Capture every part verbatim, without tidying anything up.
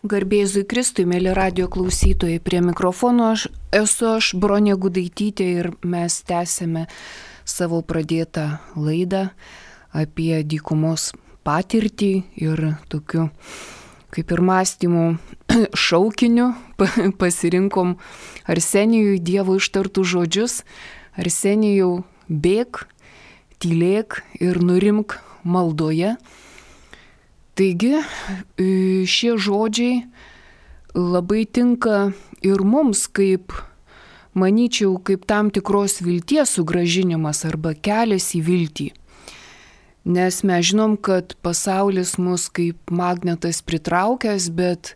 Garbėzui Kristui, mėly radio klausytojai, prie mikrofono aš esu aš, Bronė Gudaitytė, ir mes tęsėme savo pradėtą laidą apie dykumos patirtį ir tokiu kaip ir mąstymų šaukiniu pasirinkom Arsenijui Dievo ištartų žodžius: Arsenijau, bėk, tylėk ir nurimk maldoje. Taigi šie žodžiai labai tinka ir mums, kaip, manyčiau, kaip tam tikros vilties sugrąžinimas arba kelias į viltį. Nes mes žinom, kad pasaulis mus kaip magnetas pritraukęs, bet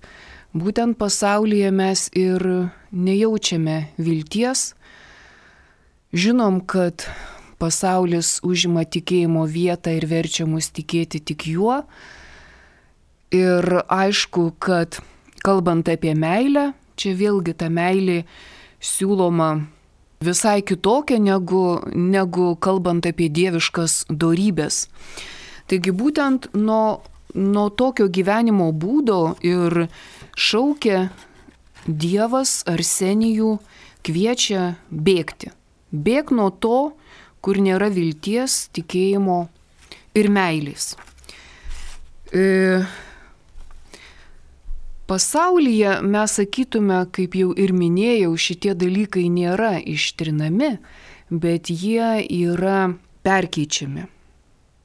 būtent pasaulyje mes ir nejaučiame vilties. Žinom, kad pasaulis užima tikėjimo vietą ir verčia mus tikėti tik juo. Ir aišku, kad kalbant apie meilę, čia vėlgi ta meilė siūloma visai kitokia negu, negu kalbant apie dieviškas dorybės. Taigi būtent nuo, nuo tokio gyvenimo būdo ir šaukia Dievas Arsenijų, kviečia bėgti. Bėk nuo to, kur nėra vilties, tikėjimo ir meilės. E, Pasaulyje mes sakytume, kaip jau ir minėjau, šitie dalykai nėra ištrinami, bet jie yra perkeičiami.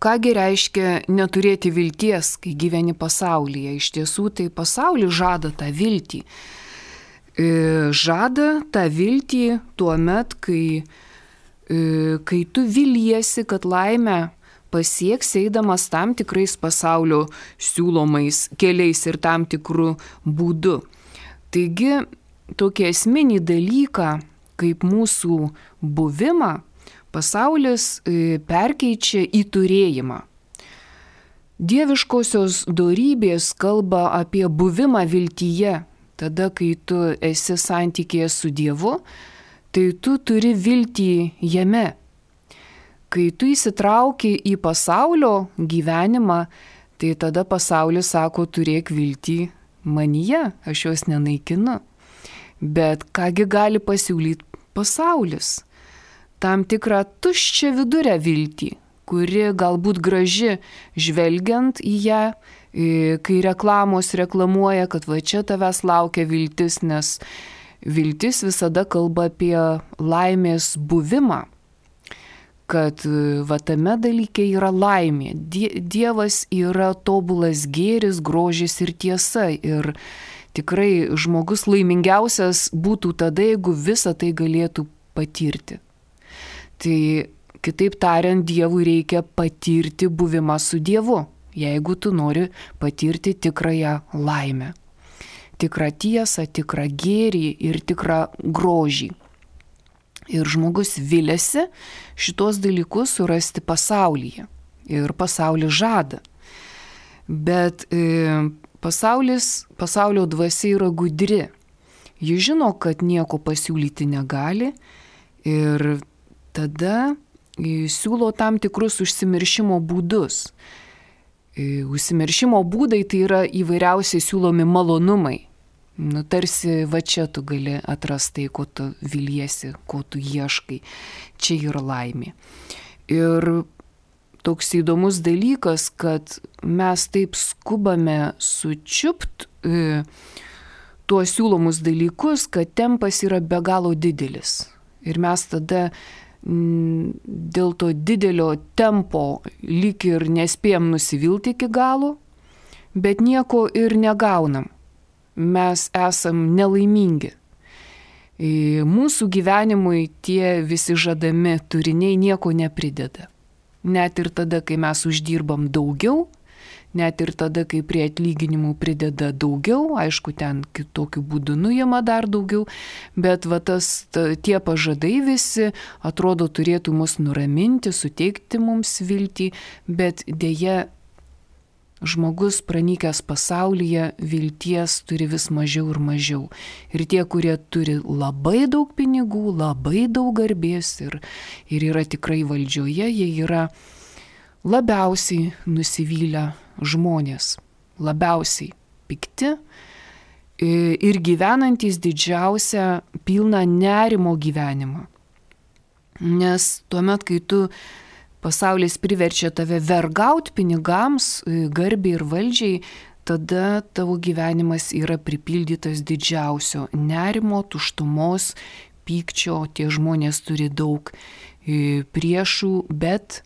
Kągi reiškia neturėti vilties, kai gyveni pasaulyje? Iš tiesų, tai pasaulis žada tą viltį. Žada tą viltį tuo met, kai, kai tu viliesi, kad laimę pasieks eidamas tam tikrais pasaulio siūlomais keliais ir tam tikrų būdų. Taigi, tokį esminį dalyką, kaip mūsų buvimą, pasaulis perkeičia į turėjimą. Dieviškosios dorybės kalba apie buvimą viltyje. Tada, kai tu esi santykėje su Dievu, tai tu turi viltį jame. Kai tu įsitrauki į pasaulio gyvenimą, tai tada pasaulis sako, turėk viltį manyje, aš jos nenaikinu. Bet kągi gali pasiūlyti pasaulis? Tam tikrą tuščią vidurę viltį, kuri galbūt graži žvelgiant į ją, kai reklamos reklamuoja, kad va čia tavęs laukia viltis, nes viltis visada kalba apie laimės buvimą. Kad va tame dalyke yra laimė. Dievas yra tobulas gėris, grožis ir tiesa. Ir tikrai žmogus laimingiausias būtų tada, jeigu visą tai galėtų patirti. Tai kitaip tariant, Dievui reikia patirti buvimą su Dievu, jeigu tu nori patirti tikrąją laimę. Tikrą tiesą, tikrą gėrį ir tikrą grožį. Ir žmogus viliasi šitos dalykus surasti pasaulyje. Ir pasaulis žada. Bet e, pasaulis, pasaulio dvasia yra gudri. Ji žino, kad nieko pasiūlyti negali. Ir tada e, siūlo tam tikrus užsimiršimo būdus. E, užsimiršimo būdai tai yra įvairiausiai siūlomi malonumai. Nu, tarsi va čia tu gali atrasti, ko tu viliesi, ko tu ieškai. Čia yra laimė. Ir toks įdomus dalykas, kad mes taip skubame sučiupt e, tuos siūlomus dalykus, kad tempas yra be galo didelis. Ir mes tada m, dėl to didelio tempo lyg ir nespėjom nusivilti iki galo, bet nieko ir negaunam. Mes esam nelaimingi. Mūsų gyvenimui tie visi žadami turiniai nieko neprideda. Net ir tada, kai mes uždirbam daugiau, net ir tada, kai prie atlyginimų prideda daugiau, aišku, ten kitokiu būdu nuima dar daugiau, bet va tas, ta, tie pažadai visi atrodo turėtų mus nuraminti, suteikti mums viltį, bet dėja žmogus pranykęs pasaulyje vilties turi vis mažiau ir mažiau. Ir tie, kurie turi labai daug pinigų, labai daug garbės ir, ir yra tikrai valdžioje, jie yra labiausiai nusivylę žmonės, labiausiai pikti, ir gyvenantys didžiausią pilną nerimo gyvenimą. Nes tuomet, kai tu pasaulis priverčia tave vergauti pinigams, garbiai ir valdžiai, tada tavo gyvenimas yra pripildytas didžiausio nerimo, tuštumos, pykčio. Tie žmonės turi daug priešų, bet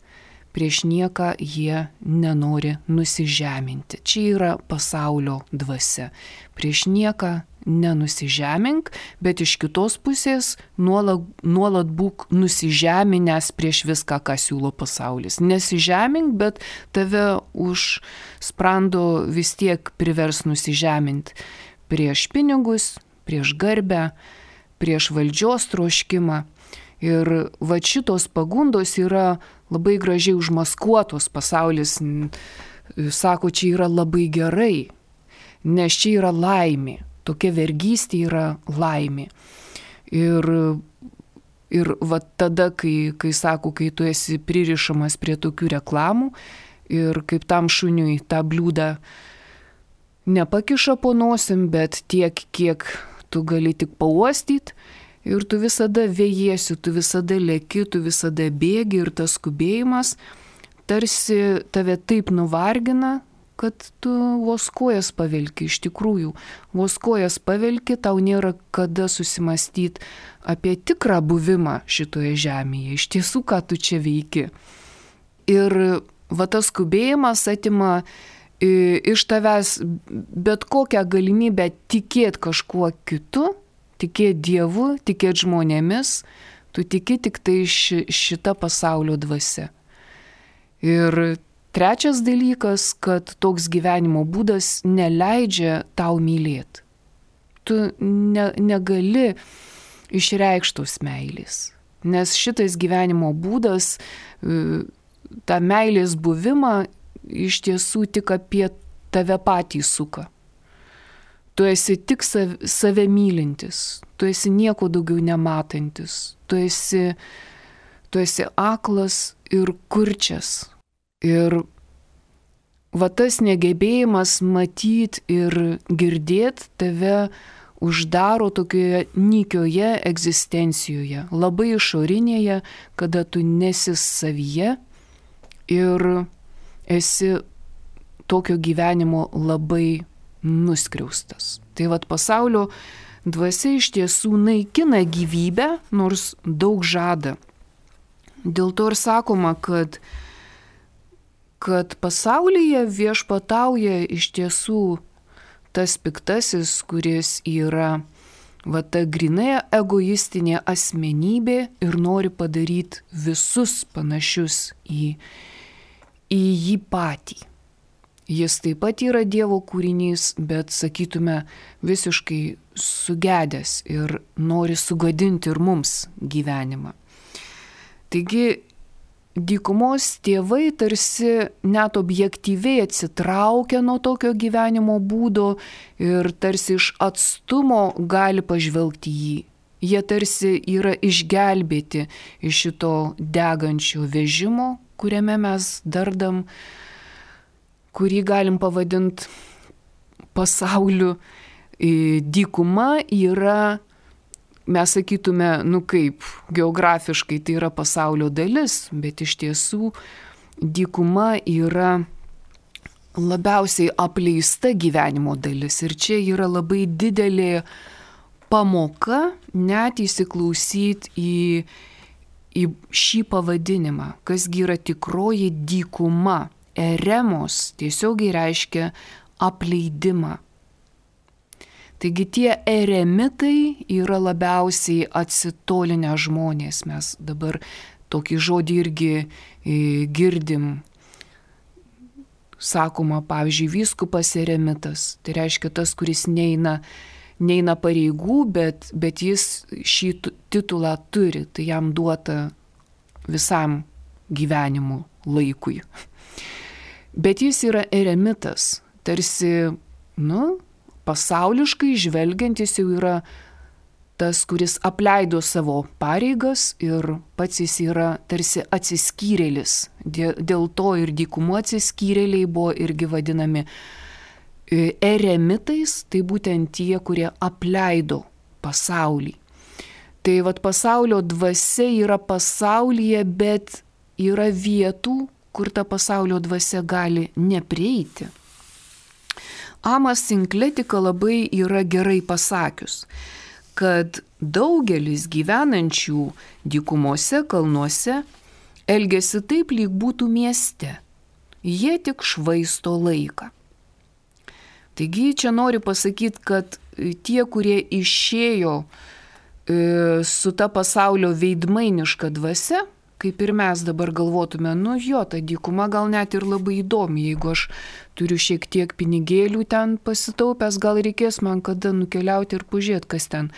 prieš nieką jie nenori nusižeminti. Čia yra pasaulio dvasia. Prieš nieką nenusižemink, bet iš kitos pusės nuolat, nuolat būk nusižeminęs prieš viską, ką siūlo pasaulis. Nesižemink, bet tave už sprando vis tiek privers nusižeminti prieš pinigus, prieš garbę, prieš valdžios troškimą. Ir va šitos pagundos yra labai gražiai užmaskuotos. Pasaulis sako, čia yra labai gerai, nes čia yra laimė. Tokia vergystė yra laimė. Ir, ir va tada, kai, kai sako, kai tu esi pririšamas prie tokių reklamų ir kaip tam šuniui tą bliūdą nepakiša po nosim, bet tiek, kiek tu gali tik pauostyti, ir tu visada vėjiesi, tu visada leki, tu visada bėgi, ir tas skubėjimas tarsi tave taip nuvargina, kad tu vos kojas pavelki. Iš tikrųjų, vos kojas pavelki, tau nėra kada susimastyti apie tikrą buvimą šitoje žemėje. Iš tiesų, ką tu čia veiki. Ir va tas skubėjimas atima iš tavęs bet kokią galimybę tikėti kažkuo kitu, tikėti Dievu, tikėti žmonėmis, tu tiki tik tai ši, šita pasaulio dvasia. Ir trečias dalykas, kad toks gyvenimo būdas neleidžia tau mylėti. Tu ne, negali išreikštos meilės, nes šitas gyvenimo būdas, tą meilės buvimą iš tiesų tik apie tave patį suka. Tu esi tik save mylintis, tu esi nieko daugiau nematantis, tu esi, tu esi aklas ir kurčias. Ir va tas negebėjimas matyti ir girdėti tave uždaro tokioje nykioje egzistencijoje, labai išorinėje, kada tu nesi savyje ir esi tokio gyvenimo labai nuskriaustas. Tai vat pasaulio dvasia iš tiesų naikina gyvybę, nors daug žada. Dėl to ir sakoma, kad kad pasaulyje viešpatauja iš tiesų tas piktasis, kuris yra va ta grinai egoistinė asmenybė ir nori padaryti visus panašius į, į jį patį. Jis taip pat yra Dievo kūrinys, bet sakytume visiškai sugedęs ir nori sugadinti ir mums gyvenimą. Taigi, dykumos tėvai tarsi net objektyviai atsitraukia nuo tokio gyvenimo būdo ir tarsi iš atstumo gali pažvelgti jį. Jie tarsi yra išgelbėti iš šito degančio vežimo, kuriame mes dardam, kurį galim pavadinti pasauliu. Dykuma yra, mes sakytume, nu kaip, geografiškai tai yra pasaulio dalis, bet iš tiesų dykuma yra labiausiai apleista gyvenimo dalis. Ir čia yra labai didelė pamoka net įsiklausyti į, į šį pavadinimą, kasgi yra tikroji dykuma. Eremos tiesiogiai reiškia apleidimą. Taigi tie eremitai yra labiausiai atsitolinę žmonės. Mes dabar tokį žodį irgi girdim. Sakoma, pavyzdžiui, vyskupas eremitas. Tai reiškia tas, kuris neina, neina pareigų, bet, bet jis šį titulą turi. Tai jam duota visam gyvenimo laikui. Bet jis yra eremitas. Tarsi, nu, pasauliškai žvelgiantis jau yra tas, kuris apleido savo pareigas ir pats jis yra tarsi atsiskyrėlis. Dėl to ir dykumo atsiskyrėliai buvo irgi vadinami eremitais, tai būtent tie, kurie apleido pasaulį. Tai vat pasaulio dvasia yra pasaulyje, bet yra vietų, kur ta pasaulio dvasia gali neprieiti. Amas Sinkletika labai yra gerai pasakius, kad daugelis gyvenančių dykumose, kalnuose elgiasi taip, lyg būtų mieste. Jie tik švaisto laiką. Taigi čia noriu pasakyti, kad tie, kurie išėjo su ta pasaulio veidmainiška dvasia, kaip ir mes dabar galvotume, nu jo, ta dykuma gal net ir labai įdomi, jeigu aš turiu šiek tiek pinigėlių ten pasitaupęs, gal reikės man kada nukeliauti ir pažiūrėti, kas ten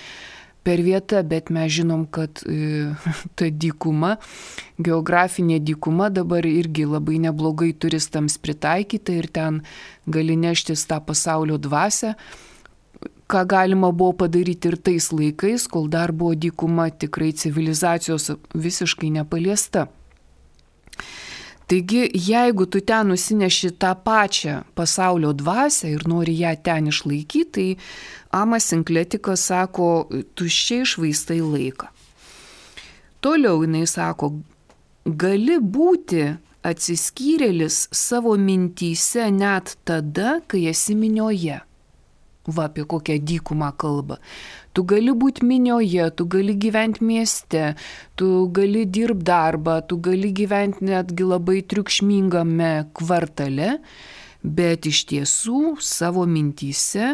per vietą, bet mes žinom, kad e, ta dykuma, geografinė dykuma dabar irgi labai neblogai turistams pritaikyta ir ten gali neštis tą pasaulio dvasią, ką galima buvo padaryti ir tais laikais, kol dar buvo dykuma tikrai civilizacijos visiškai nepaliesta. Taigi, jeigu tu ten nusineši tą pačią pasaulio dvasią ir nori ją ten išlaikyti, tai Amas Sinkletikas sako, tuščiai švaistai laiką. Toliau jinai sako, gali būti atsiskyrėlis savo mintyse net tada, kai esi minioje. Va, apie kokią dykumą kalba. Tu gali būti minioje, tu gali gyventi mieste, tu gali dirbti darbą, tu gali gyventi netgi labai triukšmingame kvartale, bet iš tiesų savo mintyse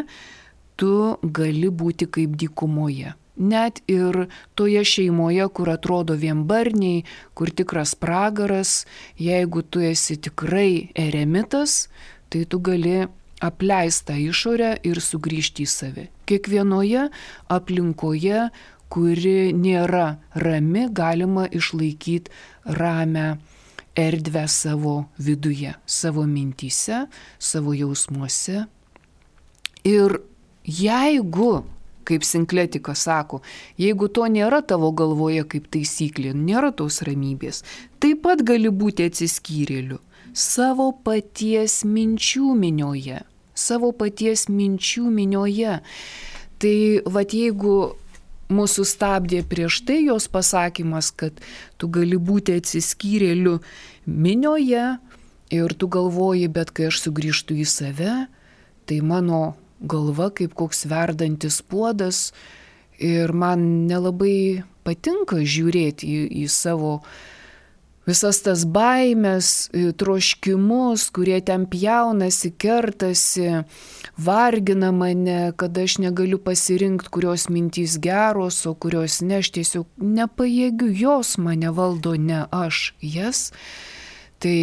tu gali būti kaip dykumoje. Net ir toje šeimoje, kur atrodo vienbarniai, kur tikras pragaras, jeigu tu esi tikrai eremitas, tai tu gali apleistą išorę ir sugrįžti į save. Kiekvienoje aplinkoje, kuri nėra rami, galima išlaikyti ramę erdvę savo viduje, savo mintyse, savo jausmuose. Ir jeigu, kaip Sinkletikas sako, jeigu to nėra tavo galvoje kaip taisyklė, nėra tos ramybės, taip pat gali būti atsiskyrėliu savo paties minčių minioje. Savo paties minčių minioje. Tai vat jeigu mūsų stabdė prieš tai jos pasakymas, kad tu gali būti atsiskyrėliu minioje ir tu galvoji, bet kai aš sugrįžtu į save, tai mano galva kaip koks verdantis puodas ir man nelabai patinka žiūrėti į, į savo visas tas baimės, troškimus, kurie ten pjaunasi, kertasi, vargina mane, kad aš negaliu pasirinkti, kurios mintys geros, o kurios ne, aš tiesiog nepajėgiu, jos mane valdo, ne aš jas. Tai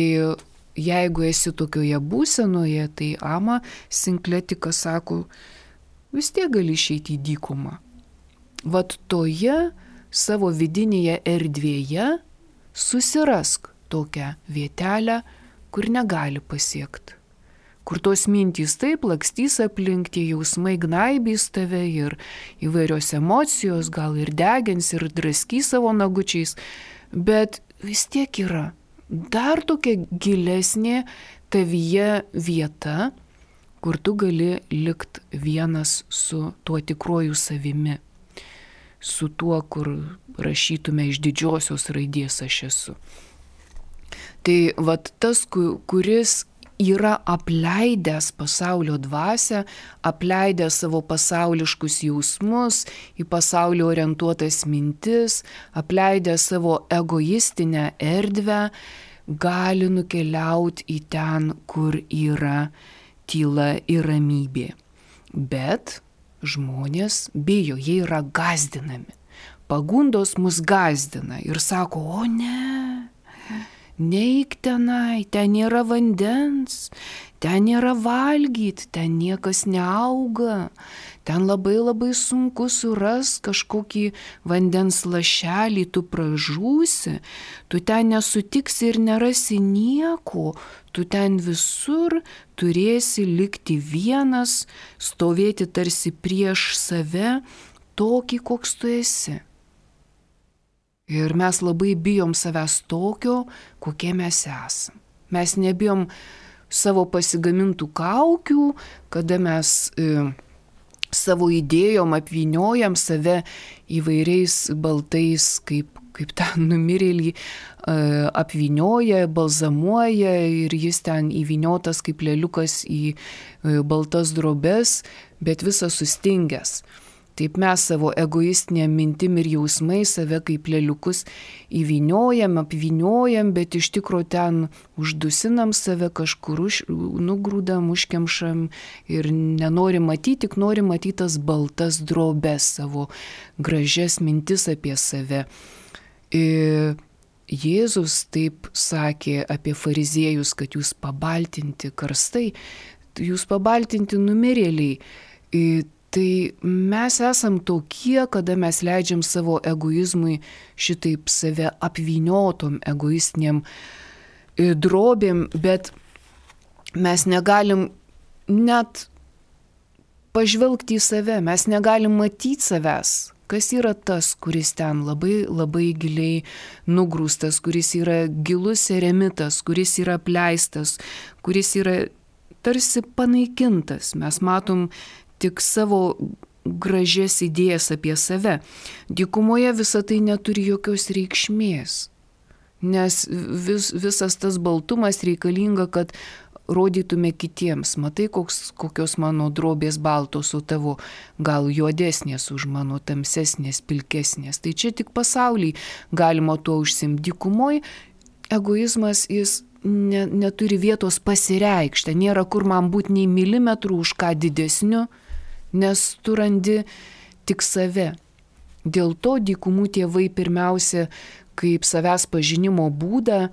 jeigu esi tokioje būsenoje, tai Ama Sinkletikas sako, vis tiek gali išeiti į dykumą. Vat toje savo vidinėje erdvėje susirask tokią vietelę, kur negali pasiekti. Kur tos mintys taip lakstys aplink, tie jausmai gnaibys tave ir įvairios emocijos, gal ir degins ir draskys savo nagučiais, bet vis tiek yra dar tokia gilesnė tavyje vieta, kur tu gali likt vienas su tuo tikruoju savimi. Su tuo, kur rašytume iš didžiosios raidės aš esu. Tai vat tas, kuris yra apleidęs pasaulio dvasią, apleidęs savo pasauliškus jausmus, į pasaulį orientuotas mintis, apleidęs savo egoistinę erdvę, gali nukeliauti į ten, kur yra tyla ir ramybė. Bet žmonės bijo, jie yra gąsdinami. Pagundos mus gąsdina ir sako, o ne, neik tenai, ten nėra vandens, ten nėra valgyti, ten niekas neauga, ten labai labai sunku suras kažkokį vandens lašelį, tu pražūsi, tu ten nesutiksi ir nerasi nieko, tu ten visur turėsi likti vienas, stovėti tarsi prieš save, tokį, koks tu esi. Ir mes labai bijom savęs tokio, kokie mes esam. Mes nebijom savo pasigamintų kaukių, kada mes e, savo idėjom apvyniojam save įvairiais baltais, kaip, kaip ten numirėlį e, apvynioja, balzamuoja ir jis ten įvyniotas kaip lėliukas į e, baltas drobes, bet visas sustingęs. Taip mes savo egoistinėm mintim ir jausmai save kaip lėliukus įvyniojam, apvyniojam, bet iš tikro ten uždusinam save, kažkur už, nugrūdam, užkemšam ir nenorim matyti, tik norim matyti tas baltas drobes, savo gražias mintis apie save. Ir Jėzus taip sakė apie fariziejus, kad jūs pabaltinti karstai, jūs pabaltinti numirėliai. Ir tai mes esam tokie, kada mes leidžiam savo egoizmui šitaip save apvyniotom egoistiniam drobėm, bet mes negalim net pažvelgti į save, mes negalim matyti savęs, kas yra tas, kuris ten labai labai giliai nugrūstas, kuris yra gilus eremitas, kuris yra apleistas, kuris yra tarsi panaikintas. Mes matom tik savo gražias idėjas apie save. Dykumoje visa tai neturi jokios reikšmės, nes vis, visas tas baltumas reikalinga, kad rodytume kitiems. Matai, koks, kokios mano drobės baltos, o tavo gal juodesnės už mano tamsesnės, pilkesnės. Tai čia tik pasaulyje galima tuo užsimti. Dykumoje egoizmas jis ne, neturi vietos pasireikšti, nėra kur man būti nei milimetrų už ką didesniu, nes tu randi tik save. Dėl to dykumų tėvai pirmiausia kaip savęs pažinimo būdą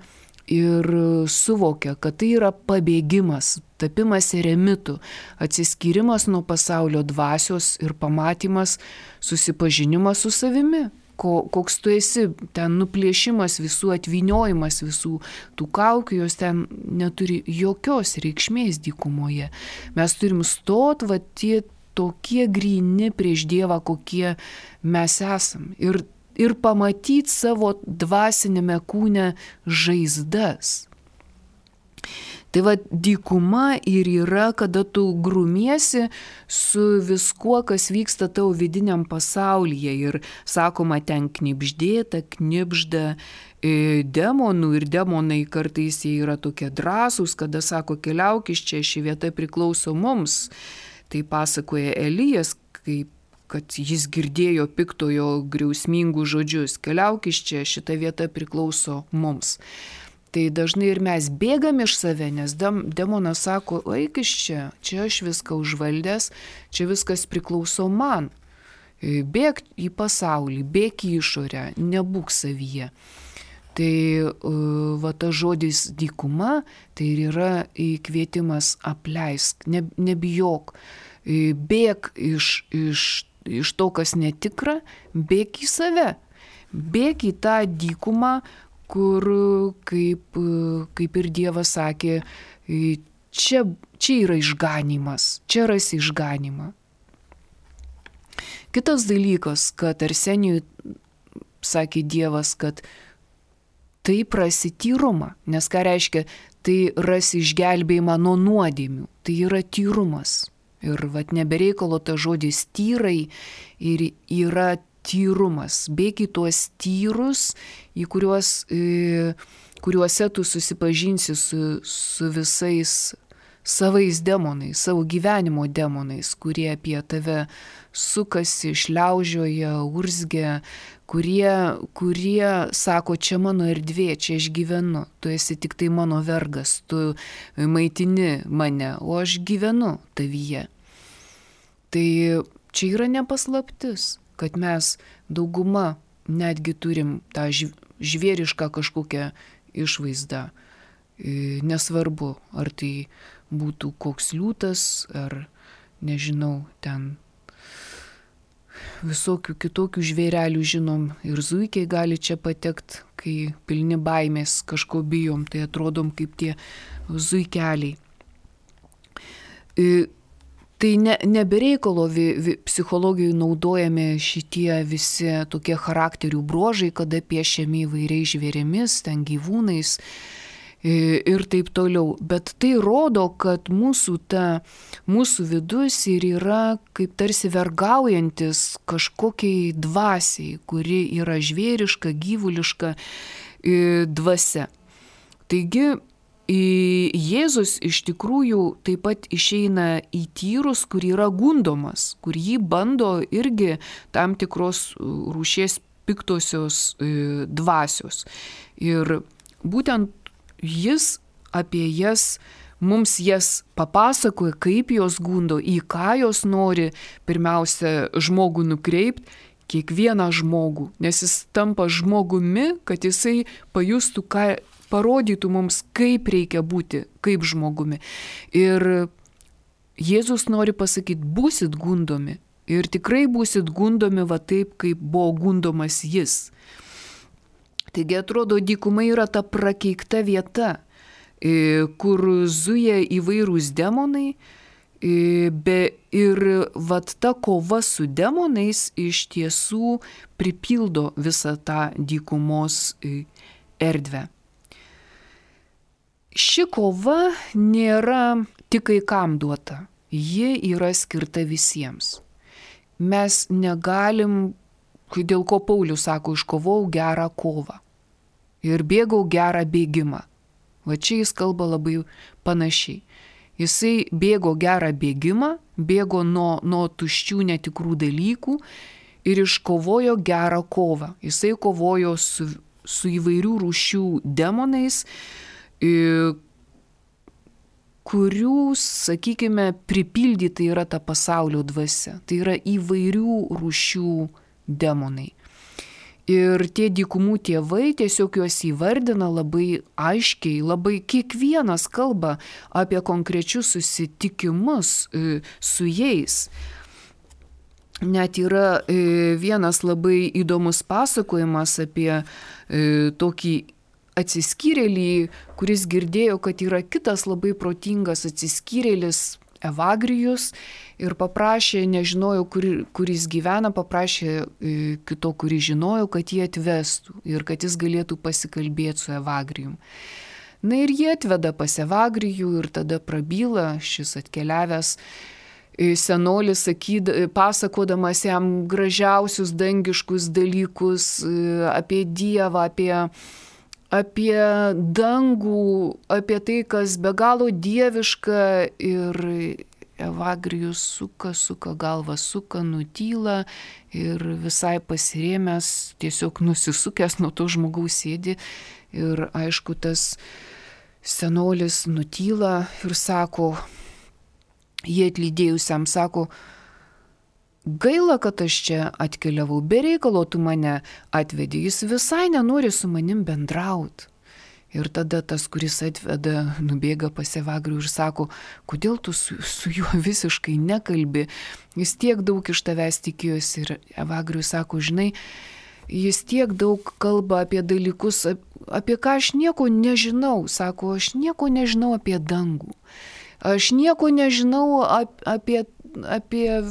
ir suvokia, kad tai yra pabėgimas, tapimas eremitu, atsiskyrimas nuo pasaulio dvasios ir pamatymas, susipažinimas su savimi. Ko, koks tu esi, ten nuplėšimas visų, atvyniojimas visų tų kaukių, jos ten neturi jokios reikšmės dykumoje. Mes turim stot, va tie tokie gryni prieš Dievą, kokie mes esam. Ir, ir pamatyti savo dvasinėme kūne žaizdas. Tai va dykuma ir yra, kada tu grumiesi su viskuo, kas vyksta tavo vidiniam pasaulyje. Ir sakoma, ten knibždėta, knibžda e, demonų ir demonai kartais jie yra tokie drąsūs, kada sako, keliauk iš čia, ši vieta priklauso mums. Tai pasakoja Elijas, kaip, kad jis girdėjo piktojo griausmingų žodžius. Keliauk iš čia, šita vieta priklauso mums. Tai dažnai ir mes bėgam iš save, nes demonas sako, eik iš čia, čia aš viską užvaldęs, čia viskas priklauso man. Bėk į pasaulį, bėk į išorę, nebūk savyje. Tai va tas žodis dykuma, tai ir yra kvietimas apleisk, ne, nebijok, bėk iš, iš, iš to, kas netikra, bėk į save, bėk į tą dykumą, kur, kaip, kaip ir Dievas sakė, čia, čia yra išganymas, čia rasi išganymą. Kitas dalykas, kad Arsenijui sakė Dievas, kad tai rasi tyrumą, nes ką reiškia, tai rasi išgelbėjimą nuo nuodėmių, tai yra tyrumas. Ir vat nebereikalo ta žodis tyrai ir yra tyrumas. Bėk į tuos tyrus, į kuriuos, e, kuriuose tu susipažinsi su, su visais savais demonais, savo gyvenimo demonais, kurie apie tave sukasi, šliaužioja, urzgia, kurie, kurie sako, čia mano erdvė, čia aš gyvenu, tu esi tik tai mano vergas, tu maitini mane, o aš gyvenu tavyje. Tai čia yra nepaslaptis, kad mes dauguma netgi turim tą žvėrišką kažkokią išvaizdą. Nesvarbu, ar tai būtų koks liūtas, ar nežinau, ten visokių kitokių žvėrelių žinom, ir zuikiai gali čia patekti, kai pilni baimės kažko bijom, tai atrodom kaip tie zuikeliai. Tai ne, nebereikalo psichologijoje naudojami šitie visi tokie charakterių bruožai, kada piešiami įvairiais žvėrėmis, ten gyvūnais. ir taip toliau. Bet tai rodo, kad mūsų, ta, mūsų vidus ir yra kaip tarsi vergaujantis kažkokiai dvasiai, kuri yra žvėriška, gyvuliška dvasia. Taigi, Jėzus iš tikrųjų taip pat išeina į tyrus, kur yra gundomas, kur jį bando irgi tam tikros rūšies piktosios dvasios. Ir būtent jis apie jas, mums jas papasakoja, kaip jos gundo, į ką jos nori pirmiausia žmogų nukreipti, kiekvieną žmogų, nes jis tampa žmogumi, kad jisai pajustų, ką parodytų mums, kaip reikia būti, kaip žmogumi. Ir Jėzus nori pasakyti, būsit gundomi. Ir tikrai būsit gundomi va taip, kaip buvo gundomas jis. Taigi atrodo, dykuma yra ta prakeikta vieta, kur zuja įvairūs demonai. Be, ir vat ta kova su demonais iš tiesų pripildo visą tą dykumos erdvę. Ši kova nėra tik kai kam duota, ji yra skirta visiems. Mes negalim, dėl ko Paulius sako, iškovau gerą kovą ir bėgau gerą bėgimą. Va čia jis kalba labai panašiai. Jisai bėgo gerą bėgimą, bėgo nuo, nuo tuščių netikrų dalykų ir iškovojo gerą kovą. Jisai kovojo su, su įvairių rūšių demonais, kurių, sakykime, pripildyti yra ta pasaulio dvasia. Tai yra įvairių rūšių demonai. Ir tie dykumų tėvai tiesiog juos įvardina labai aiškiai, labai kiekvienas kalba apie konkrečius susitikimus su jais. Net yra vienas labai įdomus pasakojimas apie tokį atsiskyrėlį, kuris girdėjo, kad yra kitas labai protingas atsiskyrėlis Evagrijus ir paprašė, nežinojo, kur, kur jis gyvena, paprašė kito, kurį žinojo, kad jį atvestų ir kad jis galėtų pasikalbėti su Evagrijum. Na ir jie atveda pas Evagrijų ir tada prabyla šis atkeliavęs senolis, sakyd, pasakodamas jam gražiausius dangiškus dalykus apie Dievą, apie apie dangų, apie tai, kas be galo dieviška, ir Evagrijus suka, suka galvą, suka, nutyla ir visai pasirėmęs, tiesiog nusisukęs nuo to žmogaus sėdi. Ir aišku, tas senolis nutyla ir sako, jie atlydėjusiam sako, gaila, kad aš čia atkeliavau, be reikalo tu mane atvedė, jis visai nenori su manim bendrauti. Ir tada tas, kuris atveda, nubėga pas Evagrijų ir sako, kodėl tu su, su juo visiškai nekalbi, jis tiek daug iš tavęs tikėjosi. Ir Evagrijus sako, žinai, jis tiek daug kalba apie dalykus, apie ką aš nieko nežinau. Sako, aš nieko nežinau apie dangų, aš nieko nežinau apie apie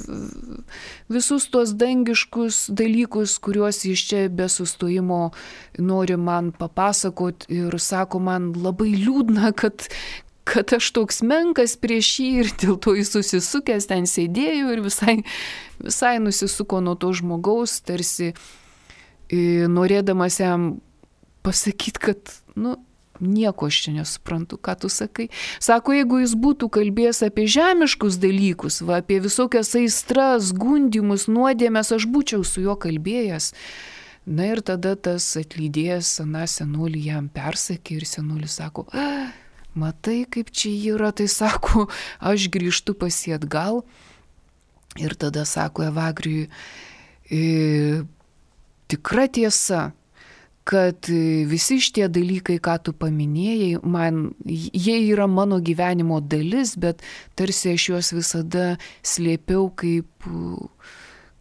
visus tos dangiškus dalykus, kuriuos jis čia be sustojimo nori man papasakot, ir sako, man labai liūdna, kad, kad aš toks menkas prieš jį, ir dėl to jis susisukęs ten sėdėjo ir visai, visai nusisuko nuo to žmogaus, tarsi norėdamas jam pasakyti, kad, nu, nieko aš čia nesuprantu, ką tu sakai. Sako, jeigu jis būtų kalbėjęs apie žemiškus dalykus, va, apie visokias aistras, gundymus, nuodėmes, aš būčiau su juo kalbėjęs. Na ir tada tas atlydėjęs aną senolį jam persakė ir senolis sako, matai, kaip čia yra, tai sako, aš grįžtu pas jį atgal. Ir tada sako Evagrijui, e, tikra tiesa, kad visi šitie dalykai, ką tu paminėjai, man, jie yra mano gyvenimo dalis, bet tarsi aš juos visada slėpiau kaip,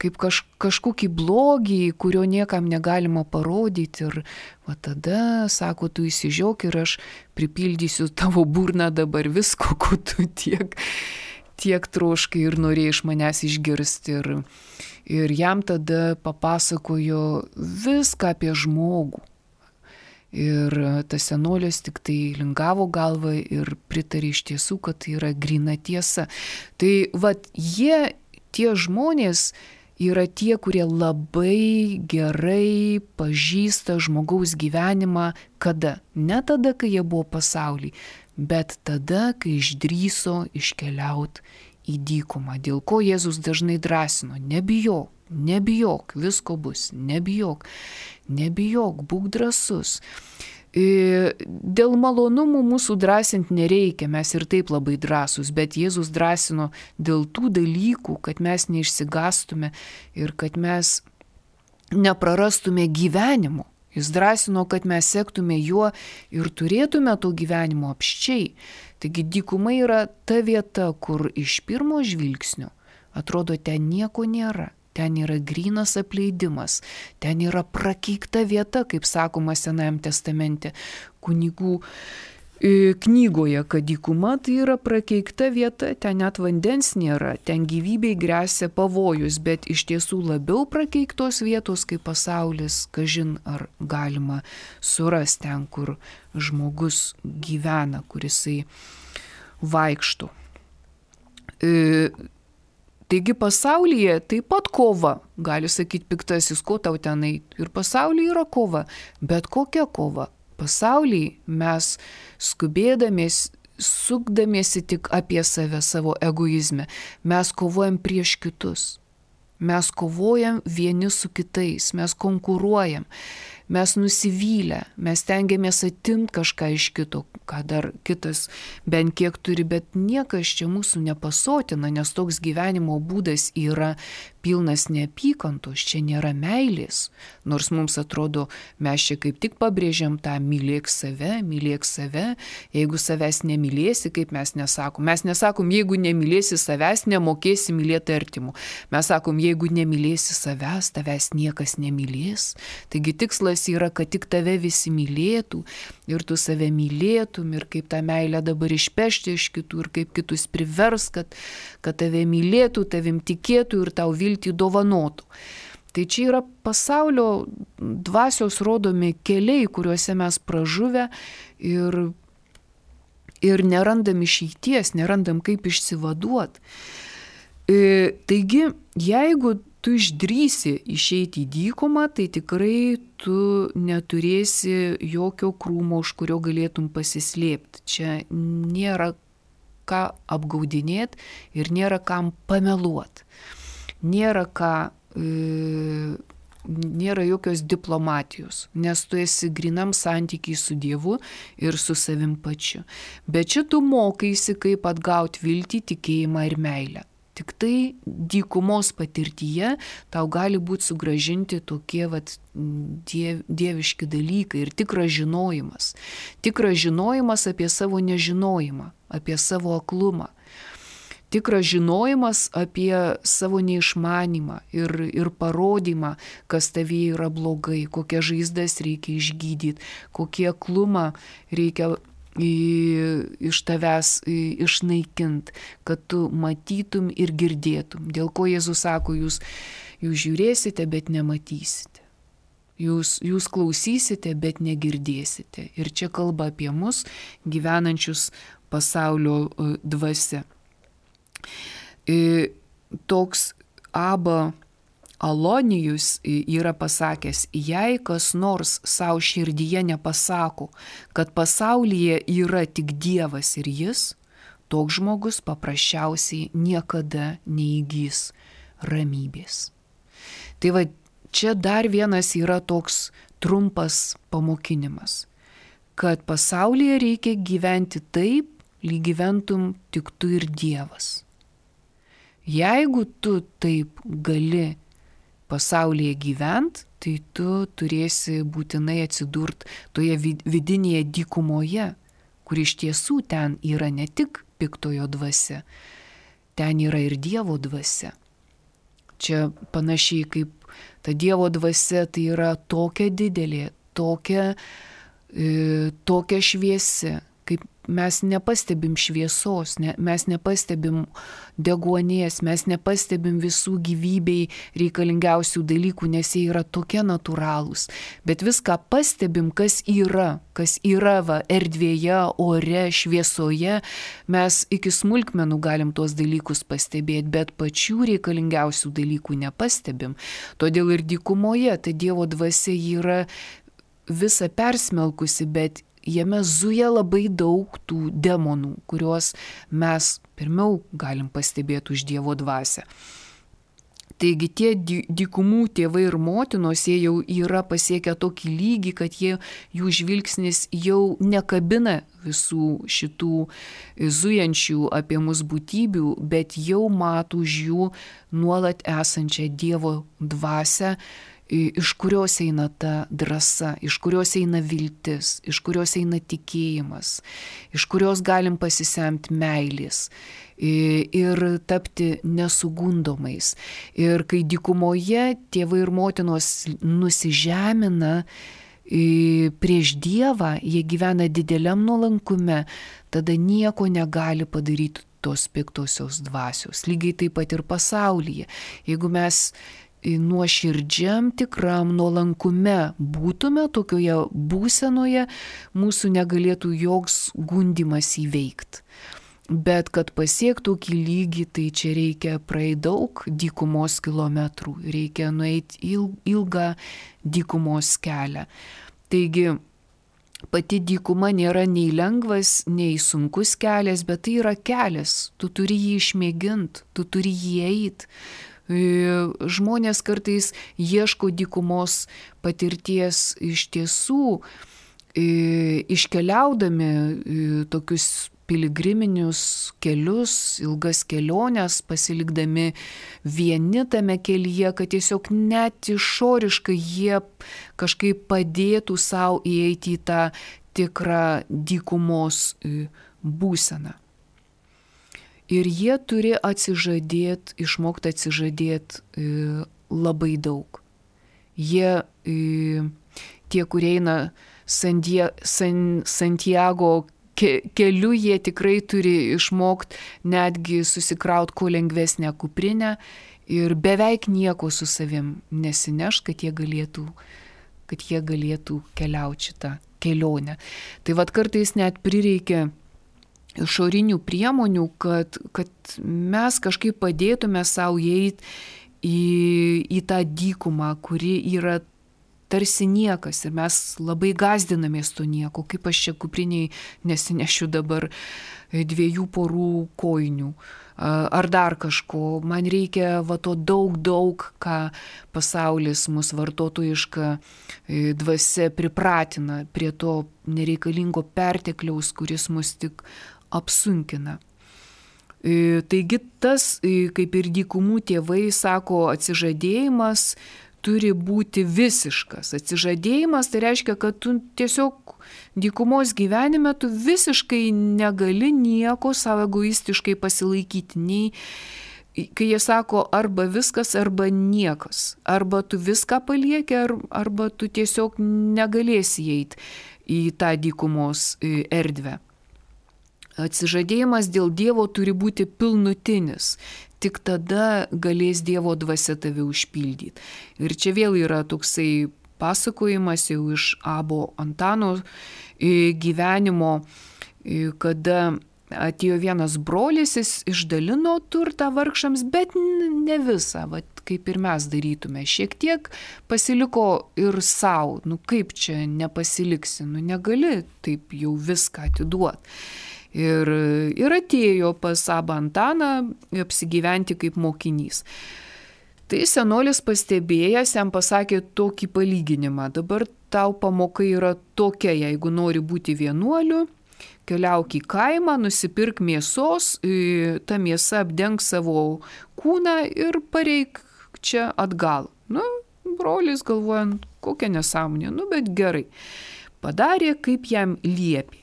kaip kaž, kažkokį blogį, kurio niekam negalima parodyti. Ir va tada, sako, tu įsižiok ir aš pripildysiu tavo burną dabar visko, ko tu tiek, tiek troškai ir norėjai iš manęs išgirsti. Ir, Ir jam tada papasakojo viską apie žmogų. Ir tas senolis tik tai lingavo galvą ir pritarė iš tiesų, kad tai yra gryna tiesa. Tai vat jie, tie žmonės, yra tie, kurie labai gerai pažįsta žmogaus gyvenimą. Kada? Ne tada, kai jie buvo pasaulyje, bet tada, kai išdryso iškeliauti į dykumą. Dėl ko Jėzus dažnai drąsino: nebijok, nebijok, visko bus, nebijok, nebijok, būk drąsus. Dėl malonumų mūsų drąsinti nereikia, mes ir taip labai drąsūs, bet Jėzus drąsino dėl tų dalykų, kad mes neišsigastume ir kad mes neprarastume gyvenimo. Jis drąsino, kad mes sektume juo ir turėtume to gyvenimo apščiai. Taigi dykuma yra ta vieta, kur iš pirmo žvilgsnio atrodo ten nieko nėra. Ten yra grynas apleidimas, ten yra prakeikta vieta, kaip sakoma Senajame testamente kunigų knygoje, kad dykuma tai yra prakeikta vieta, ten net vandens nėra, ten gyvybei gresia pavojus, bet iš tiesų labiau prakeiktos vietos kaip pasaulis, kažin ar galima surasti ten, kur žmogus gyvena, kur jisai vaikšto. E, Taigi pasaulyje taip pat kova, gali sakyti piktasis, ko tau tenai, ir pasaulyje yra kova, bet kokia kova? Pasaulyje mes skubėdamės, sukdamiesi tik apie save, savo egoizmę, mes kovojam prieš kitus, mes kovojam vieni su kitais, mes konkuruojam, mes nusivylę, mes tengiamės atimti kažką iš kito, ką dar kitas bent kiek turi, bet niekas čia mūsų nepasotina, nes toks gyvenimo būdas yra pilnas neapykantos, čia nėra meilės, nors mums atrodo, mes čia kaip tik pabrėžiam tą mylėk save, mylėk save, jeigu savęs nemylėsi, kaip mes nesakom, mes nesakom, jeigu nemylėsi savęs, nemokėsi mylėti artimų, mes sakom, jeigu nemylėsi savęs, tavęs niekas nemylės, taigi tikslas yra, kad tik tave visi mylėtų ir tu save mylėtum ir kaip tą meilę dabar išpešti iš kitų ir kaip kitus privers, kad, kad tave mylėtų, tavim tikėtų ir tau viltį dovanotų. Tai čia yra pasaulio dvasios rodomi keliai, kuriuose mes pražuvę ir, ir nerandam išeities, nerandam kaip išsivaduoti. E, taigi, jeigu tu išdrysi išeiti į dykumą, tai tikrai tu neturėsi jokio krūmo, už kurio galėtum pasislėpti. Čia nėra ką apgaudinėti ir nėra kam pameluoti. Nėra ką, e, nėra jokios diplomatijos, nes tu esi grinam santykiai su Dievu ir su savim pačiu. Bet čia tu mokaisi, kaip atgauti viltį, tikėjimą ir meilę. Tik tai dykumos patirtyje tau gali būti sugražinti tokie vat, diev, dieviški dalykai ir tikras žinojimas. Tikras žinojimas apie savo nežinojimą, apie savo aklumą. Tikras žinojimas apie savo neišmanimą ir, ir parodymą, kas tavyje yra blogai, kokias žaizdas reikia išgydyti, kokie aklumą reikia iš tavęs išnaikinti, kad tu matytum ir girdėtum. Dėl ko Jėzus sako, jūs, jūs žiūrėsite, bet nematysite. Jūs, jūs klausysite, bet negirdėsite. Ir čia kalba apie mus gyvenančius pasaulio dvasia. Toks Aba Alonijus yra pasakęs, jei kas nors savo širdyje nepasako, kad pasaulyje yra tik Dievas ir jis, toks žmogus paprasčiausiai niekada neįgys ramybės. Tai va, čia dar vienas yra toks trumpas pamokinimas, kad pasaulyje reikia gyventi taip, lyg gyventum tik tu ir Dievas. Jeigu tu taip gali pasaulyje gyvent, tai tu turėsi būtinai atsidurt toje vidinėje dykumoje, kur iš tiesų ten yra ne tik piktojo dvasia, ten yra ir Dievo dvasia. Čia panašiai kaip ta Dievo dvasia, tai yra tokia didelė, tokia, e, tokia šviesi, kaip mes nepastebim šviesos, ne, mes nepastebim deguonies, mes nepastebim visų gyvybei reikalingiausių dalykų, nes jie yra tokie natūralūs. Bet viską pastebim, kas yra, kas yra va, erdvėje, ore, šviesoje, mes iki smulkmenų galim tuos dalykus pastebėti, bet pačių reikalingiausių dalykų nepastebim. Todėl ir dykumoje ta Dievo dvasia yra visa persmelkusi, bet jame zuja labai daug tų demonų, kuriuos mes pirmiau galim pastebėti už Dievo dvasią. Taigi tie dykumų tėvai ir motinos, jie jau yra pasiekę tokį lygį, kad jie, jų žvilgsnis jau nekabina visų šitų zujančių apie mus būtybių, bet jau mato už jų nuolat esančią Dievo dvasią, iš kurios eina ta drąsa, iš kurios eina viltis, iš kurios eina tikėjimas, iš kurios galim pasisemti meilės ir tapti nesugundomais. Ir kai dykumoje tėvai ir motinos nusižemina prieš Dievą, jie gyvena dideliam nuolankume, tada nieko negali padaryti tos piktosios dvasios. Lygiai taip pat ir pasaulyje. Jeigu mes nuoširdžiam tikram nuolankume būtume tokioje būsenoje, mūsų negalėtų joks gundymas įveikti. Bet kad pasiektų tokį lygį, tai čia reikia praeiti daug dykumos kilometrų, reikia nueiti ilgą dykumos kelią. Taigi pati dykuma nėra nei lengvas, nei sunkus kelias, bet tai yra kelias, tu turi jį išmėginti, tu turi jį eiti. Žmonės kartais ieško dykumos patirties iš tiesų, iškeliaudami tokius piligriminius kelius, ilgas keliones, pasilikdami vieni tame kelyje, kad tiesiog net išoriškai jie kažkaip padėtų savo įeiti į tą tikrą dykumos būseną. Ir jie turi atsižadėti, išmokti atsižadėti e, labai daug. Jie, e, tie, kurie eina Sandie, San, Santiago ke, keliu, jie tikrai turi išmokti netgi susikrauti kuo lengvesnę kuprinę ir beveik nieko su savim nesineš, kad jie galėtų, kad jie galėtų keliauti šitą kelionę. Tai vat kartais net prireikia išorinių priemonių, kad, kad mes kažkaip padėtume savo įeiti į, į tą dykumą, kuri yra tarsi niekas ir mes labai gazdinamės to nieko, kaip aš čia kupriniai nesinešiu dabar dviejų porų kojinių ar dar kažko. Man reikia va to daug, daug, ką pasaulis mus vartotojiška dvasia pripratina prie to nereikalingo pertekliaus, kuris mus tik apsunkina. Taigi tas, kaip ir dykumų tėvai sako, atsižadėjimas turi būti visiškas. Atsižadėjimas tai reiškia, kad tu tiesiog dykumos gyvenime tu visiškai negali nieko savo egoistiškai pasilaikyti. Nei, kai jie sako arba viskas, arba niekas. Arba tu viską palieki, arba tu tiesiog negalėsi įeiti į tą dykumos erdvę. Atsižadėjimas dėl Dievo turi būti pilnutinis. Tik tada galės Dievo dvasia tave užpildyti. Ir čia vėl yra toksai pasakojimas jau iš Abo Antano gyvenimo, kada atėjo vienas brolis, jis išdalino turtą vargšams, bet ne visą, vat, kaip ir mes darytume. Šiek tiek pasiliko ir savo. Nu kaip čia nepasiliksi, nu negali taip jau viską atiduoti. Ir, ir atėjo pas Abą Antaną apsigyventi kaip mokinys. Tai senolis pastebėjęs jam pasakė tokį palyginimą. Dabar tau pamoka yra tokia, jeigu nori būti vienuoliu, keliauk į kaimą, nusipirk mėsos, ta mėsa apdenk savo kūną ir pareik čia atgal. Nu, brolis galvojant, kokia nesąmonė, nu bet gerai. Padarė, kaip jam liepė.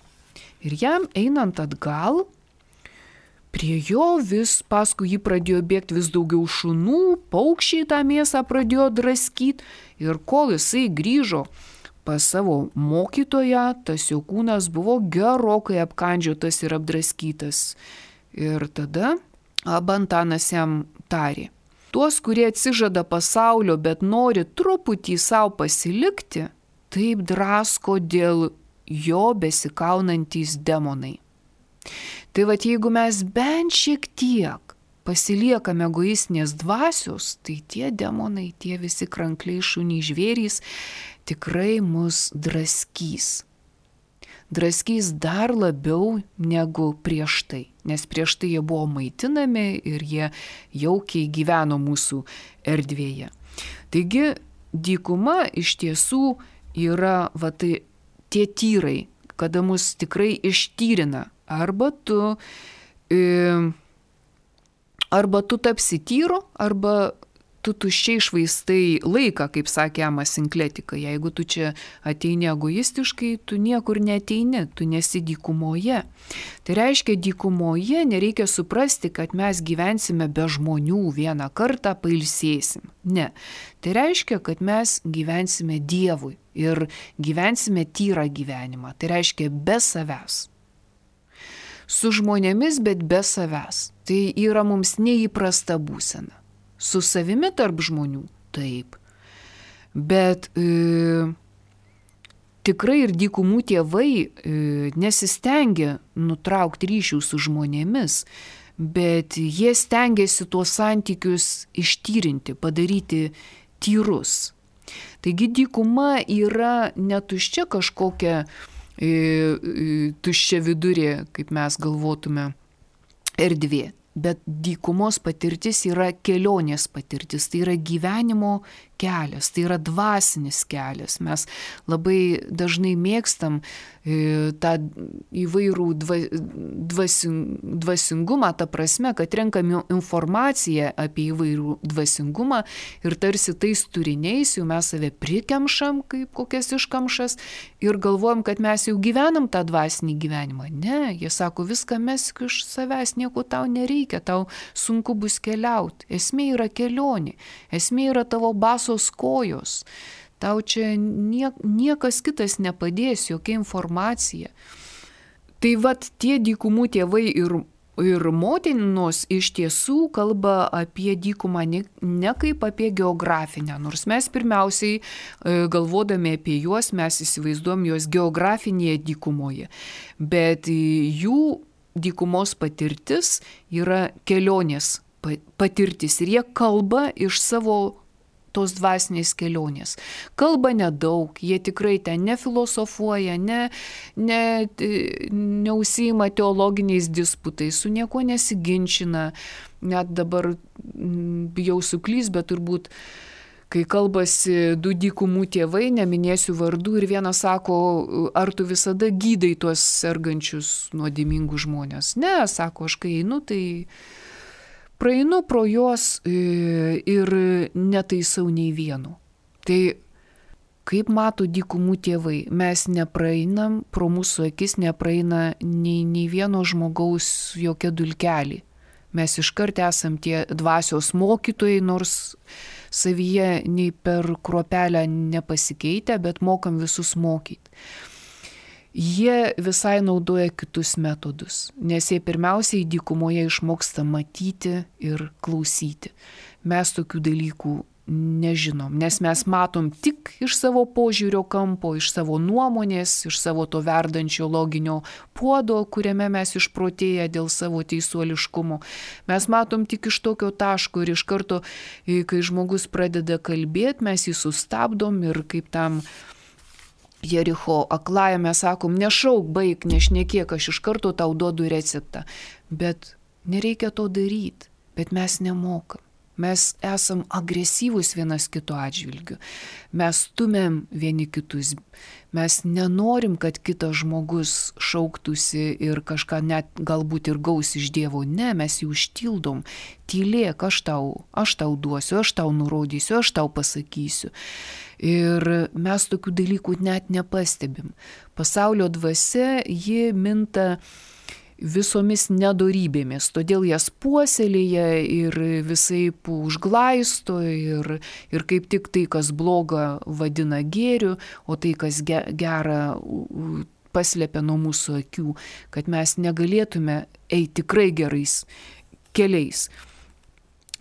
Ir jam einant atgal, prie jo vis paskui jį pradėjo bėgti vis daugiau šunų, paukščiai tą mėsą pradėjo draskyti ir kol jisai grįžo pas savo mokytoją, tas jo kūnas buvo gerokai apkandžiotas ir apdraskytas. Ir tada Abba Antanas jam tarė: tuos, kurie atsižada pasaulio, bet nori truputį savo pasilikti, taip drasko dėl jo besikaunantys demonai. Tai vat jeigu mes bent šiek tiek pasiliekame egoistinės dvasios, tai tie demonai, tie visi krankliai, šuniai, žvėrys tikrai mus draskys. Draskys dar labiau negu prieš tai, nes prieš tai jie buvo maitinami ir jie jaukiai gyveno mūsų erdvėje. Taigi dykuma iš tiesų yra va, tai, tie tyrai, kada mus tikrai ištyrina. Arba tu, e, arba tu tapsi tyru, arba tu tuščiai švaistai laiką, kaip sakė Amas Sinkletika. Jeigu tu čia ateini egoistiškai, tu niekur neateini, tu nesi dykumoje. Tai reiškia, dykumoje nereikia suprasti, kad mes gyvensime be žmonių, vieną kartą pailsėsim. Ne. Tai reiškia, kad mes gyvensime Dievui ir gyvensime tyrą gyvenimą. Tai reiškia be savęs. Su žmonėmis, bet be savęs. Tai yra mums neįprasta būsena. Su savimi tarp žmonių – taip. Bet e, tikrai ir dykumų tėvai e, nesistengia nutraukti ryšių su žmonėmis, bet jie stengiasi tuos santykius ištyrinti, padaryti tyrus. Taigi dykuma yra netuščia kažkokia e, e, tuščia vidurė, kaip mes galvotume, erdvė. Bet dykumos patirtis yra kelionės patirtis, tai yra gyvenimo kelias, tai yra dvasinis kelias. Mes labai dažnai mėgstam e, tą įvairų dva, dvasin, dvasingumą, ta prasme, kad renkam informaciją apie įvairų dvasingumą ir tarsi tais turiniais jau mes save prikemšam kaip kokias iškamšas ir galvojam, kad mes jau gyvenam tą dvasinį gyvenimą. Ne, jie sako, viską mesk iš savęs, nieko tau nereikia, tau sunku bus keliauti. Esmė yra kelionė, esmė yra tavo basos kojos. Tau čia nie, niekas kitas nepadės, jokia informacija. Tai vat tie dykumų tėvai ir, ir motinos iš tiesų kalba apie dykumą ne, ne kaip apie geografinę, nors mes pirmiausiai galvodami apie juos, mes įsivaizduom juos geografinėje dykumoje. Bet jų dykumos patirtis yra kelionės patirtis ir jie kalba iš savo tos dvasinės kelionės. Kalba nedaug, jie tikrai ten nefilosofuoja, ne, ne, neužsiima teologiniais disputais, su niekuo nesiginčina. Net dabar bijau suklys, bet turbūt, kai kalbasi du dykumų tėvai, neminėsiu vardų, ir vienas sako, ar tu visada gydai tuos sergančius nuodėmingus žmonės? Ne, sako, aš kai einu, tai praeinu pro juos ir netaisau nei vieno. Tai kaip mato dykumų tėvai, mes nepraeinam, pro mūsų akis nepraeina nei, nei vieno žmogaus jokia dulkelį. Mes iškart esam tie dvasios mokytojai, nors savyje nei per kruopelę nepasikeitę, bet mokam visus mokyti. Jie visai naudoja kitus metodus, nes jie pirmiausiai dykumoje išmoksta matyti ir klausyti. Mes tokių dalykų nežinom, nes mes matom tik iš savo požiūrio kampo, iš savo nuomonės, iš savo to verdančio loginio puodo, kuriame mes išprotėję dėl savo teisuoliškumo. Mes matom tik iš tokio taško ir iš karto, kai žmogus pradeda kalbėti, mes jį sustabdom ir kaip tam Jericho aklajame sakom, nešauk, baik, nešnekėk, aš iš karto tau duodu receptą. Bet nereikia to daryti, bet mes nemokam. Mes esam agresyvūs vienas kito atžvilgiu. Mes stumėm vieni kitus. Mes nenorim, kad kitas žmogus šauktųsi ir kažką net galbūt ir gaus iš Dievo. Ne, mes jį užtildom. Tylėk, aš tau, aš tau duosiu, aš tau nurodysiu, aš tau pasakysiu. Ir mes tokių dalykų net nepastebim. Pasaulio dvasia, ji minta visomis nedorybėmis, todėl jas puoselėja ir visaip užglaisto ir, ir kaip tik tai, kas bloga, vadina gėriu, o tai, kas gera, paslėpia nuo mūsų akių, kad mes negalėtume eiti tikrai gerais keliais.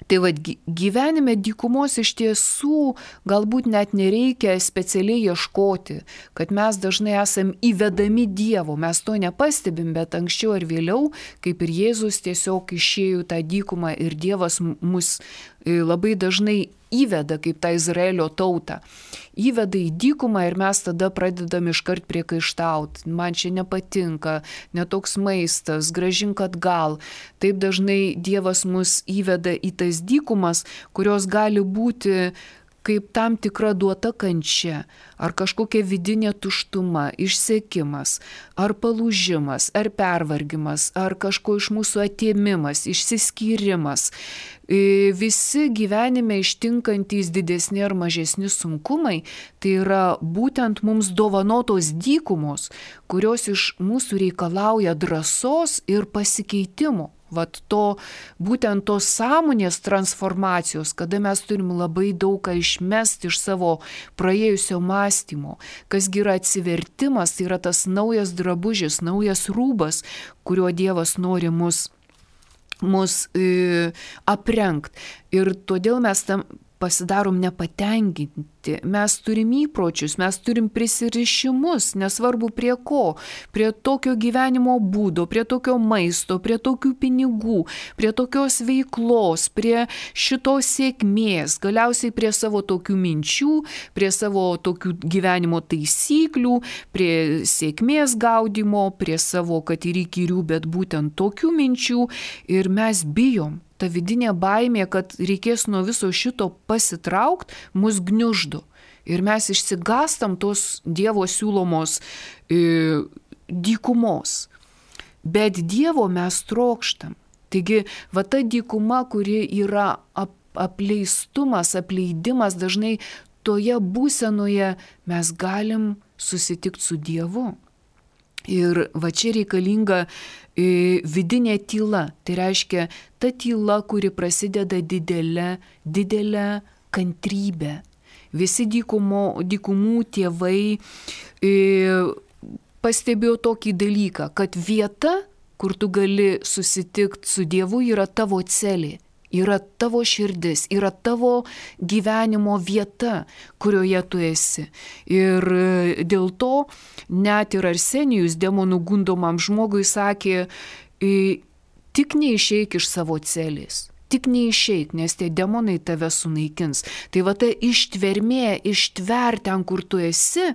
Tai vad, gyvenime dykumos iš tiesų galbūt net nereikia specialiai ieškoti, kad mes dažnai esam įvedami Dievo, mes to nepastebim, bet anksčiau ar vėliau, kaip ir Jėzus tiesiog išėjo tą dykumą ir Dievas mus labai dažnai įveda kaip tą Izraelio tautą. Įveda į dykumą ir mes tada pradedam iškart priekaištauti. Man čia nepatinka, netoks maistas, grąžink atgal. Taip dažnai Dievas mus įveda į tas dykumas, kurios gali būti kaip tam tikra duota kančia, ar kažkokia vidinė tuštuma, išsekimas, ar palūžimas, ar pervargimas, ar kažko iš mūsų atėmimas, išsiskyrimas. Visi gyvenime ištinkantys didesni ar mažesni sunkumai, tai yra būtent mums dovanotos dykumos, kurios iš mūsų reikalauja drąsos ir pasikeitimo. Vat to, būtent tos sąmonės transformacijos, kada mes turim labai daug ką išmesti iš savo praėjusio mąstymo, kasgi yra atsivertimas, tai yra tas naujas drabužis, naujas rūbas, kuriuo Dievas nori mus, mus e, aprengt. Ir todėl mes tam pasidarom nepatenkinti, mes turim įpročius, mes turim prisirišimus, nesvarbu prie ko, prie tokio gyvenimo būdo, prie tokio maisto, prie tokių pinigų, prie tokios veiklos, prie šitos sėkmės, galiausiai prie savo tokių minčių, prie savo tokių gyvenimo taisyklių, prie sėkmės gaudimo, prie savo, kad ir įkyrių, bet būtent tokių minčių ir mes bijom. Ta vidinė baimė, kad reikės nuo viso šito pasitraukti, mus gniuždo. Ir mes išsigastam tos Dievo siūlomos e, dykumos. Bet Dievo mes trokštam. Taigi, va ta dykuma, kuri yra ap, apleistumas, apleidimas, dažnai toje būsenoje mes galim susitikti su Dievu. Ir va čia reikalinga e, vidinė tyla. Tai reiškia ta tyla, kuri prasideda didelė, didelė kantrybė. Visi dykumo, dykumų tėvai e, pastebėjo tokį dalyką, kad vieta, kur tu gali susitikti su Dievu, yra tavo celė. Yra tavo širdis, yra tavo gyvenimo vieta, kurioje tu esi. Ir dėl to net ir Arsenijus demonų gundomam žmogui sakė, tik neišeik iš savo celės. Tik neišeik, nes tie demonai tave sunaikins. Tai va ta ištvermė, ištver ten, kur tu esi,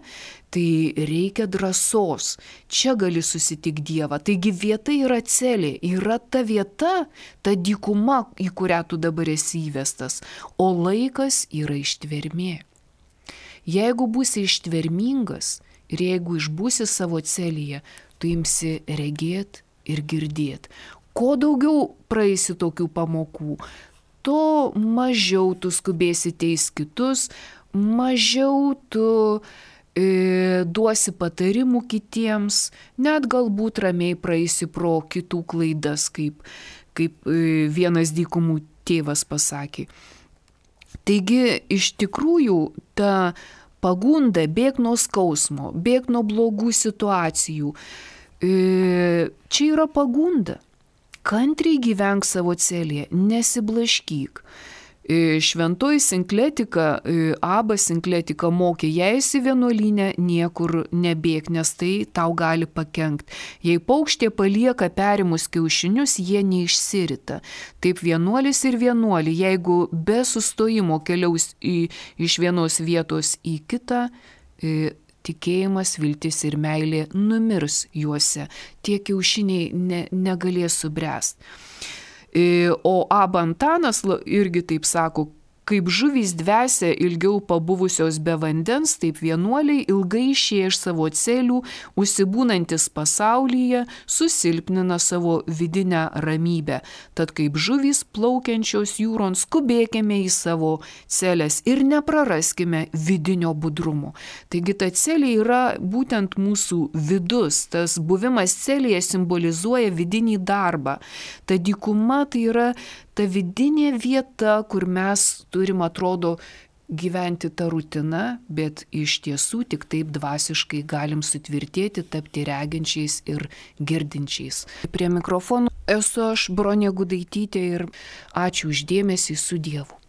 tai reikia drąsos. Čia gali susitikti Dievą. Taigi vieta yra celė, yra ta vieta, ta dykuma, į kurią tu dabar esi įvestas. O laikas yra ištvermė. Jeigu būsi ištvermingas ir jeigu išbūsi savo celėje, tu imsi regėt ir girdėt. Kuo daugiau praeisi tokių pamokų, to mažiau tu skubėsi teis kitus, mažiau tu e, duosi patarimų kitiems, net galbūt ramiai praeisi pro kitų klaidas, kaip, kaip e, vienas dykumų tėvas pasakė. Taigi, iš tikrųjų, ta pagunda bėk nuo skausmo, bėk nuo blogų situacijų, e, čia yra pagunda. Kantriai gyvenk savo celėje, nesiblaškyk. Šventoji Sinkletika, Abba Sinkletika mokė, jei esi vienuolyne, niekur nebėk, nes tai tau gali pakenkt. Jei paukštė palieka perimus kiaušinius, jie neišsirita. Taip vienuolis ir vienuolį, jeigu be sustojimo keliaus į, iš vienos vietos į kitą, tikėjimas, viltis ir meilė numirs juose. Tie kiaušiniai ne, negalės subręsti. O Abba Antanas irgi taip sako, Kaip žuvys dvesia ilgiau pabuvusios be vandens, taip vienuoliai ilgai išėję iš savo celių, užsibūnantis pasaulyje, susilpnina savo vidinę ramybę. Tad kaip žuvys plaukiančios jūron, skubėkime į savo celes ir nepraraskime vidinio budrumo. Taigi ta celė yra būtent mūsų vidus, tas buvimas celėje simbolizuoja vidinį darbą. Ta dykuma tai yra ta vidinė vieta, kur mes turim, atrodo, gyventi tą rutiną, bet iš tiesų tik taip dvasiškai galim sutvirtėti, tapti reginčiais ir girdinčiais. Prie mikrofono esu aš, Bronė Gudaitytė, ir ačiū už dėmesį, su Dievu.